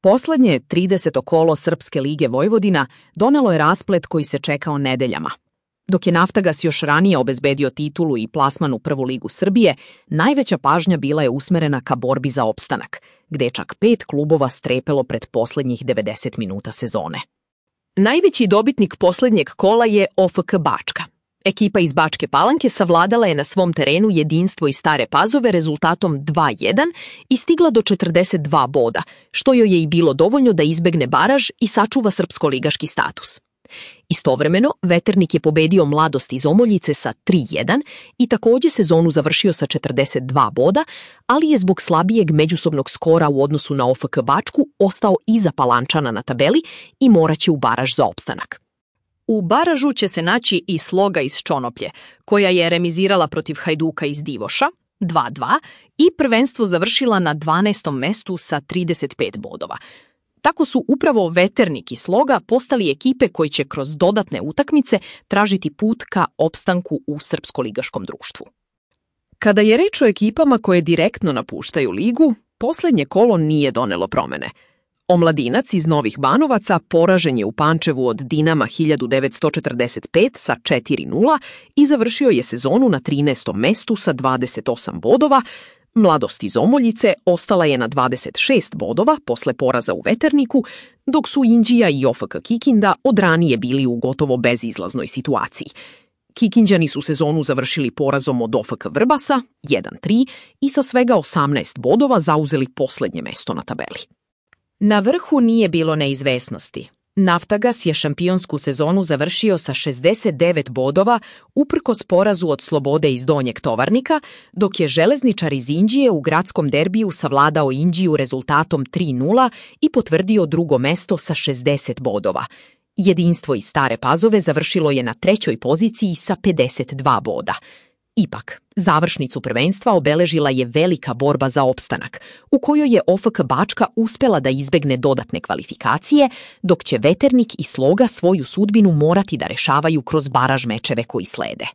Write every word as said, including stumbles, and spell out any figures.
Poslednje trideseto kolo Srpske lige Vojvodina donelo je rasplet koji se čekao nedeljama. Dok je Naftagas još ranije obezbedio titulu i plasman u prvu ligu Srbije, najveća pažnja bila je usmerena ka borbi za opstanak, gde je čak pet klubova strepelo pred poslednjih devedeset minuta sezone. Najveći dobitnik poslednjeg kola je O F K Bačka. Ekipa iz Bačke Palanke savladala je na svom terenu Jedinstvo iz Stare Pazove rezultatom dva jedan i stigla do četrdeset dva boda, što joj je i bilo dovoljno da izbegne baraž i sačuva srpsko-ligaški status. Istovremeno, Veternik je pobedio Mladost iz Omoljice sa tri jedan i takođe sezonu završio sa četrdeset dva boda, ali je zbog slabijeg međusobnog skora u odnosu na O F K Bačku ostao iza Palančana na tabeli i moraće u baraž za opstanak. U baražu će se naći i Sloga iz Čonoplje, koja je remizirala protiv Hajduka iz Divoša, dva dva, i prvenstvo završila na dvanaestom mestu sa trideset pet bodova. Tako su upravo Veternik i Sloga postali ekipe koji će kroz dodatne utakmice tražiti put ka opstanku u srpsko-ligaškom društvu. Kada je reč o ekipama koje direktno napuštaju ligu, poslednje kolo nije donelo promene. Omladinac iz Novih Banovaca poražen je u Pančevu od Dinama hiljadu devetsto četrdeset pet sa četiri nula i završio je sezonu na trinaestom mestu sa dvadeset osam bodova. Mladost iz Omoljice ostala je na dvadeset šest bodova posle poraza u Veterniku, dok su Inđija i O F K Kikinda od ranije bili u gotovo bezizlaznoj situaciji. Kikinđani su sezonu završili porazom od O F K Vrbasa jedan tri i sa svega osamnaest bodova zauzeli poslednje mesto na tabeli. Na vrhu nije bilo neizvesnosti. Naftagas je šampionsku sezonu završio sa šezdeset devet bodova uprkos porazu od Slobode iz Donjeg Tovarnika, dok je Železničar iz Inđije u gradskom derbiju savladao Inđiju rezultatom tri nula i potvrdio drugo mesto sa šezdeset bodova. Jedinstvo iz Stare Pazove završilo je na trećoj poziciji sa pedeset dva boda. Ipak, završnicu prvenstva obeležila je velika borba za opstanak, u kojoj je O F K Bačka uspela da izbegne dodatne kvalifikacije, dok će Veternik i Sloga svoju sudbinu morati da rešavaju kroz baraž mečeve koji slede.